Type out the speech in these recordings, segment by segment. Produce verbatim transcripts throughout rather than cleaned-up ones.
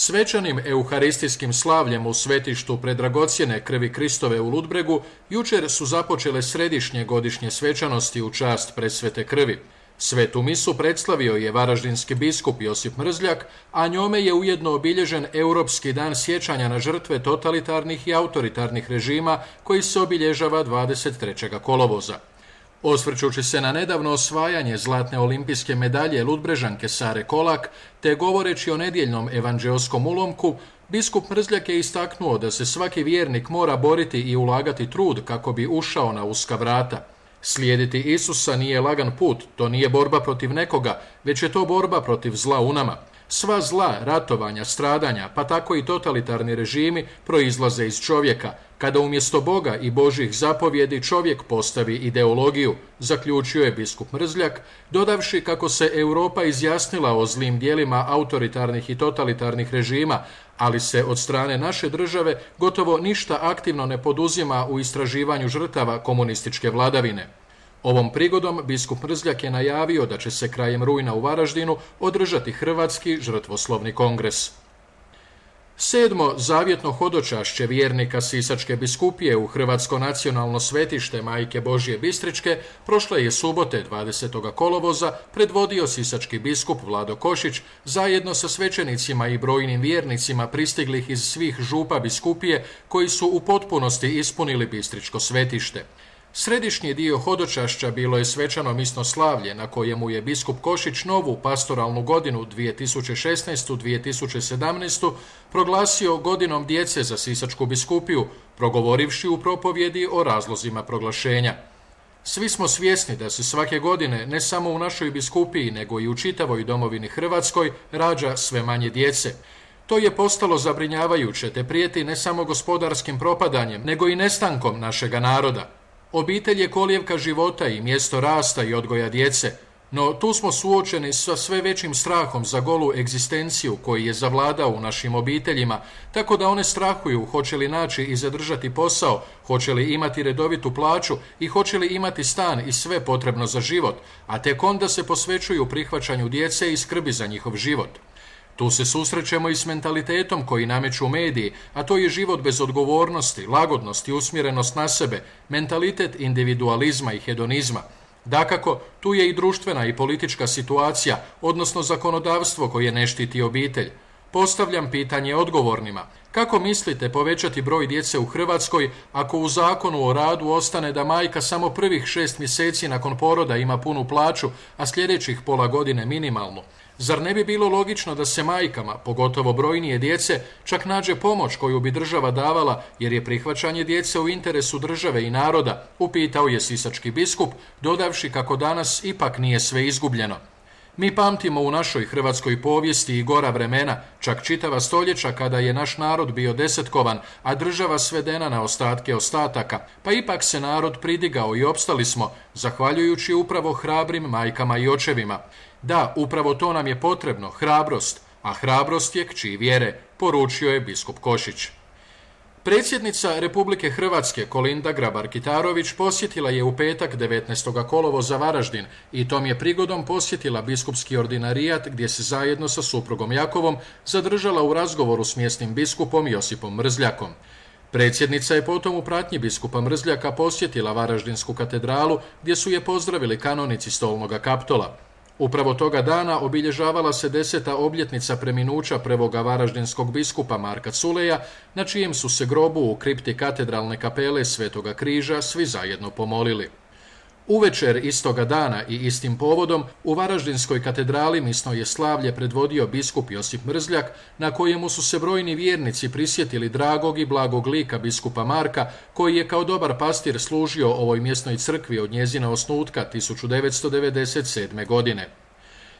Svečanim euharistijskim slavljem u svetištu predragocjene krvi Kristove u Ludbregu jučer su započele središnje godišnje svečanosti u čast presvete krvi. Svetu misu predstavio je varaždinski biskup Josip Mrzljak, a njome je ujedno obilježen Europski dan sjećanja na žrtve totalitarnih i autoritarnih režima koji se obilježava dvadeset trećeg kolovoza. Osvrćući se na nedavno osvajanje zlatne olimpijske medalje Ludbrežanke Sare Kolak, te govoreći o nedjeljnom evanđeoskom ulomku, biskup Mrzljak je istaknuo da se svaki vjernik mora boriti i ulagati trud kako bi ušao na uska vrata. Slijediti Isusa nije lagan put, to nije borba protiv nekoga, već je to borba protiv zla u nama. Sva zla, ratovanja, stradanja, pa tako i totalitarni režimi proizlaze iz čovjeka, kada umjesto Boga i Božjih zapovjedi čovjek postavi ideologiju, zaključio je biskup Mrzljak, dodavši kako se Europa izjasnila o zlim dijelima autoritarnih i totalitarnih režima, ali se od strane naše države gotovo ništa aktivno ne poduzima u istraživanju žrtava komunističke vladavine. Ovom prigodom biskup Mrzljak je najavio da će se krajem rujna u Varaždinu održati Hrvatski žrtvoslovni kongres. Sedmo zavjetno hodočašće vjernika Sisačke biskupije u Hrvatsko nacionalno svetište Majke Božje Bistričke prošle je subote dvadesetog kolovoza predvodio sisački biskup Vlado Košić zajedno sa svećenicima i brojnim vjernicima pristiglih iz svih župa biskupije koji su u potpunosti ispunili bistričko svetište. Središnji dio hodočašća bilo je svečano misno slavlje na kojemu je biskup Košić novu pastoralnu godinu dvije tisuće šesnaestu dvije tisuće sedamnaestu proglasio godinom djece za Sisačku biskupiju, progovorivši u propovjedi o razlozima proglašenja. Svi smo svjesni da se svake godine, ne samo u našoj biskupiji, nego i u čitavoj domovini Hrvatskoj, rađa sve manje djece. To je postalo zabrinjavajuće te prijeti ne samo gospodarskim propadanjem, nego i nestankom našega naroda. Obitelj je kolijevka života i mjesto rasta i odgoja djece, no tu smo suočeni sa sve većim strahom za golu egzistenciju koji je zavladao u našim obiteljima, tako da one strahuju hoće li naći i zadržati posao, hoće li imati redovitu plaću i hoće li imati stan i sve potrebno za život, a tek onda se posvećuju prihvaćanju djece i skrbi za njihov život. Tu se susrećemo i s mentalitetom koji nameću mediji, a to je život bez odgovornosti, lagodnost i usmjerenost na sebe, mentalitet individualizma i hedonizma. Dakako, tu je i društvena i politička situacija, odnosno zakonodavstvo koje ne štiti obitelj. Postavljam pitanje odgovornima. Kako mislite povećati broj djece u Hrvatskoj ako u zakonu o radu ostane da majka samo prvih šest mjeseci nakon poroda ima punu plaću, a sljedećih pola godine minimalnu? Zar ne bi bilo logično da se majkama, pogotovo brojnije djece, čak nađe pomoć koju bi država davala, jer je prihvaćanje djece u interesu države i naroda, upitao je sisački biskup, dodavši kako danas ipak nije sve izgubljeno. Mi pamtimo u našoj hrvatskoj povijesti i gora vremena, čak čitava stoljeća kada je naš narod bio desetkovan, a država svedena na ostatke ostataka, pa ipak se narod pridigao i opstali smo, zahvaljujući upravo hrabrim majkama i očevima. Da, upravo to nam je potrebno, hrabrost, a hrabrost je kći vjere, poručio je biskup Košić. Predsjednica Republike Hrvatske Kolinda Grabar-Kitarović posjetila je u petak devetnaestog kolovoza Varaždin i tom je prigodom posjetila biskupski ordinarijat gdje se zajedno sa suprugom Jakovom zadržala u razgovoru s mjesnim biskupom Josipom Mrzljakom. Predsjednica je potom u pratnji biskupa Mrzljaka posjetila Varaždinsku katedralu gdje su je pozdravili kanonici Stolnoga Kaptola. Upravo toga dana obilježavala se deseta obljetnica preminuća prvoga varaždinskog biskupa Marka Culeja, na čijem su se grobu u kripti katedralne kapele Svetoga križa svi zajedno pomolili. Uvečer istoga dana i istim povodom u Varaždinskoj katedrali misno je slavlje predvodio biskup Josip Mrzljak, na kojemu su se brojni vjernici prisjetili dragog i blagog lika biskupa Marka, koji je kao dobar pastir služio ovoj mjesnoj crkvi od njezina osnutka tisuću devetsto devedeset sedme. godine.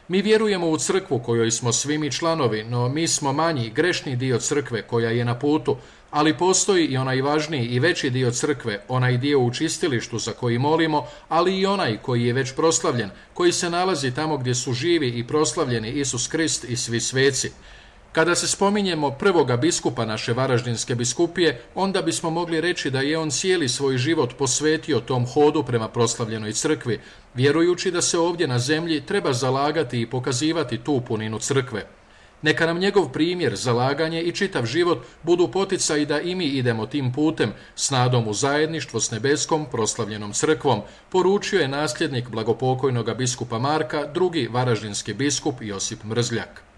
Mi vjerujemo u crkvu kojoj smo svi mi članovi, no mi smo manji, grešni dio crkve koja je na putu, ali postoji i onaj važniji i veći dio crkve, onaj dio u čistilištu za koji molimo, ali i onaj koji je već proslavljen, koji se nalazi tamo gdje su živi i proslavljeni Isus Krist i svi sveci. Kada se spominjemo prvoga biskupa naše Varaždinske biskupije, onda bismo mogli reći da je on cijeli svoj život posvetio tom hodu prema proslavljenoj crkvi, vjerujući da se ovdje na zemlji treba zalagati i pokazivati tu puninu crkve. Neka nam njegov primjer, zalaganje i čitav život budu poticaj da i mi idemo tim putem, s nadom u zajedništvo s nebeskom proslavljenom crkvom, poručio je nasljednik blagopokojnoga biskupa Marka, drugi varaždinski biskup Josip Mrzljak.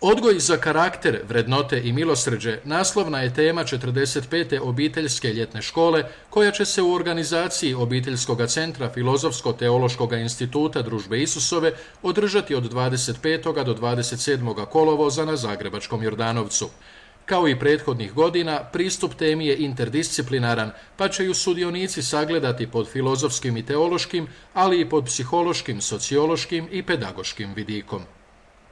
Odgoj za karakter, vrednote i milosrđe naslovna je tema četrdeset pete obiteljske ljetne škole koja će se u organizaciji Obiteljskog centra Filozofsko-teološkog instituta Družbe Isusove održati od dvadeset petog do dvadeset sedmog kolovoza na Zagrebačkom Jordanovcu. Kao i prethodnih godina, pristup temi je interdisciplinaran, pa će ju sudionici sagledati pod filozofskim i teološkim, ali i pod psihološkim, sociološkim i pedagoškim vidikom.